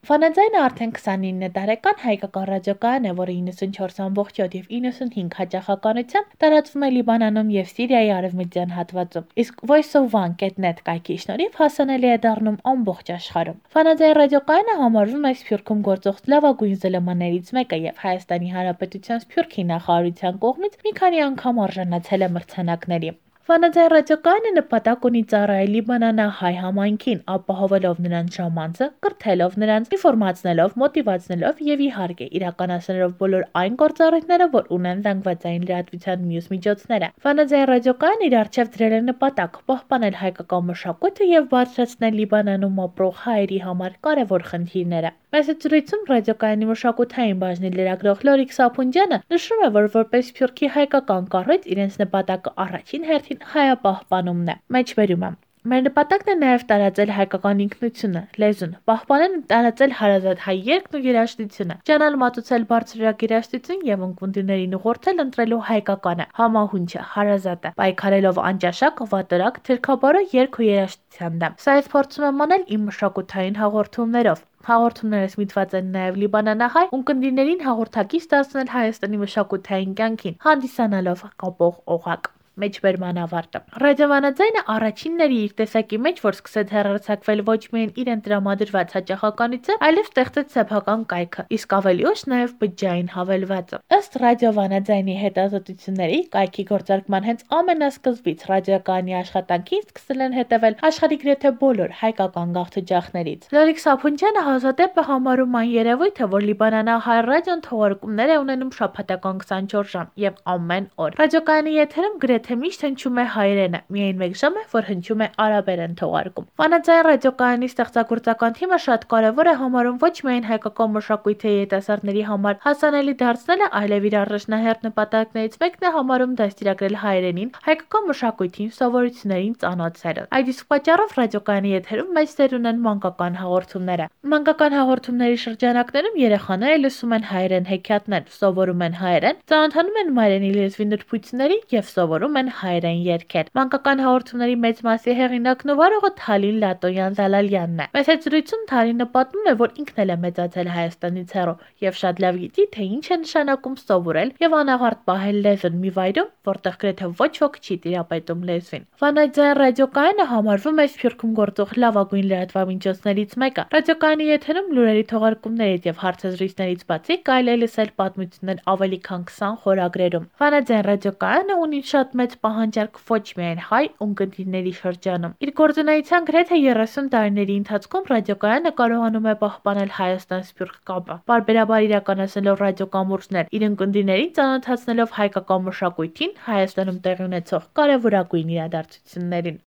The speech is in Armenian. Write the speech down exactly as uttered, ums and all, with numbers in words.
Ֆանաձայնը արդեն քսանինը տարեկան հայկական ռադիոկայան է, որը իննսունչորս ամբողջ յոթ եւ իննսունհինգ հաճախականությամբ տարածվում է Լիբանանում եւ Սիրիայի արևմտյան հատվածում, իսկ voice of one dot net կայքի շնորհիվ հասանելի է դառնում ամբողջ աշխարհում։ Ֆանաձայն ռադիոկայանը համարվում է Սփյուռքում գործող լավագույն զլմ-ներից մեկը եւ Հայաստանի Հանրապետության Սփյուռքի նախարարության կողմից մի քանի անգամ արժանացել է մրցանակների։ Ֆանաձայն ռադիոկայանը նպատակ ունի ծառայել լիբանանահայ համայնքին, ապահովելով նրանց ժամանցը, կրթելով նրանց, ինֆորմացնելով, մոտիվացնելով եւ իհարկե իրականացնելով բոլոր այն գործառույթները, որ ունեն զանգվածային լրատվության մյուս միջոցները։ Ֆանաձայն ռադիոկայան իր առջև դրել է նպատակ պահպանել հայկական մշակույթը եւ բարձրացնել Լիբանանում ապրող հայերի համար կարեւոր խնդիրները։ Մեծ զրույցում ռադիոկայանի մշակութային բաժնի լրագրող Լորիկ Սափունջյանը նշում է, որ որպես Սփյուռքի հայկական կառույց իրենց նպատակը առաջին հերթին հայապահպանումն է։ Մեջբերում է. Մեր նպատակն է նաև տարածել հայկական ինքնությունը, լեզուն, պահպանել ու տարածել հարազատ հայ երգն ու երաժշտությունը, ճանալ մատուցել բարձրորակ երաժշտություն եւ ունկնդիրներին ուղղորդել ընտրելու հայկականը, համահունչը, հարազատը, պայքարելով անճաշակ, վատորակ, թիրքաբարո երգ ու երաժշտության դեմ։ Սա ես փորձում եմ անել իմ մշակութային հաղորդումներով։ Հաղորդումներս միտված են նաև լիբանանահայ ունկնդիրներին հաղորդակից դարձնել Հայաստանի մշակութային կյանքին, հանդիսանալով կապող օղակ։ Մեջբերման ավարտը։ Ռադիոֆանաձայնը առաջինն էր իր տեսակի մեջ, որ սկսեց հեռարձակվել ոչ միայն իրեն տրամադրված հաճախականությամբ, այլև ստեղծեց սեփական կայքը, իսկ ավելի ուշ նաև բջջային հավելվածը։ Ըստ ռադիոֆանաձայնի հետազոտությունների, կայքի գործարկման հենց ամենասկզբից ռադիոկայանի աշխատանքին սկսել են հետևել աշխարհի գրեթե բոլոր հայկական գաղթօջախներից։ Լորիկ Սափունջյանը հազվադեպ է համարում այն երևույթը, որ լիբանանահայ ռադիոն թողարկումներ է ունենում շաբաթական քսանչորս ժամ եւ ամեն օր։ Ռադիոկայանի եթերում գրեթե միշտ հնչում է հայերենը, միայն մեկ ժամ է, որ հնչում է արաբերեն թողարկում։ Ֆանաձայն ռադիոկայանի ստեղծագործական թիմը շատ կարևոր է համարում ոչ միայն հայկական մշակույթի երիտասարդների համար հասանելի դարձնելը, այլև իր առաջնահերթ նպատակներից մեկն է համարում դաստիարակել հայերենին, հայկական մշակույթին, սովորություններին ծանոթացնել։ Այդ իսկ պատճառով ռադիոկայանի եթերում մեծ դեր ունեն մանկական հաղորդումները։ Մանկական հաղորդումների շրջանակներում երեխաները լսում են հայերեն հեքիաթներ, սովորում են հայերեն, ծանոթանում են մայրենի լեզվի նրբություններին եւ սովորում են հայերեն երգեր։ Մանկական հաղորդումների մեծ մասի հեղինակն ու վարողը Թալին Լատոյան Զալալյանն է։ Մեծ զրույցում Թալինը պատմում է, որ ինքն էլ է մեծացել Հայաստանից հեռու եւ շատ լավ գիտի, թե ինչ է նշանակում սովորել եւ անաղարտ պահել լեզուն մի վայրում, որտեղ գրեթե ոչ ոք չի տիրապետում լեզվին։ Ֆանաձայն ռադիոկայանը համարվում է Սփյուռքում գործող լավագույն լրատվամիջոցներից մեկը։ Ռադիոկայանի եթերում լուրերի թողարկումներից եւ հարցազրույցներից բացի կարելի է լսել պատմություններ ավելի քան քսան խորագրերում։ Ֆանաձայն ռադիոկայանը ունի շատ մեծ պահանջարկ ոչ միայն հայ ունկնդիրների շրջանում։ Իր գործունեության գրեթե երեսուն տարիների ընթացքում ռադիոկայանը կարողանում է պահպանել Հայաստան-Սփյուռք կապը, պարբերաբար իրականացնելով ռադիոկամուրջներ, իր ունկնդիրներին ծանոթացնելով հայկական մշակույթին, Հայաստանում տեղի ունեցող կարևորագույն իրադարձություններին։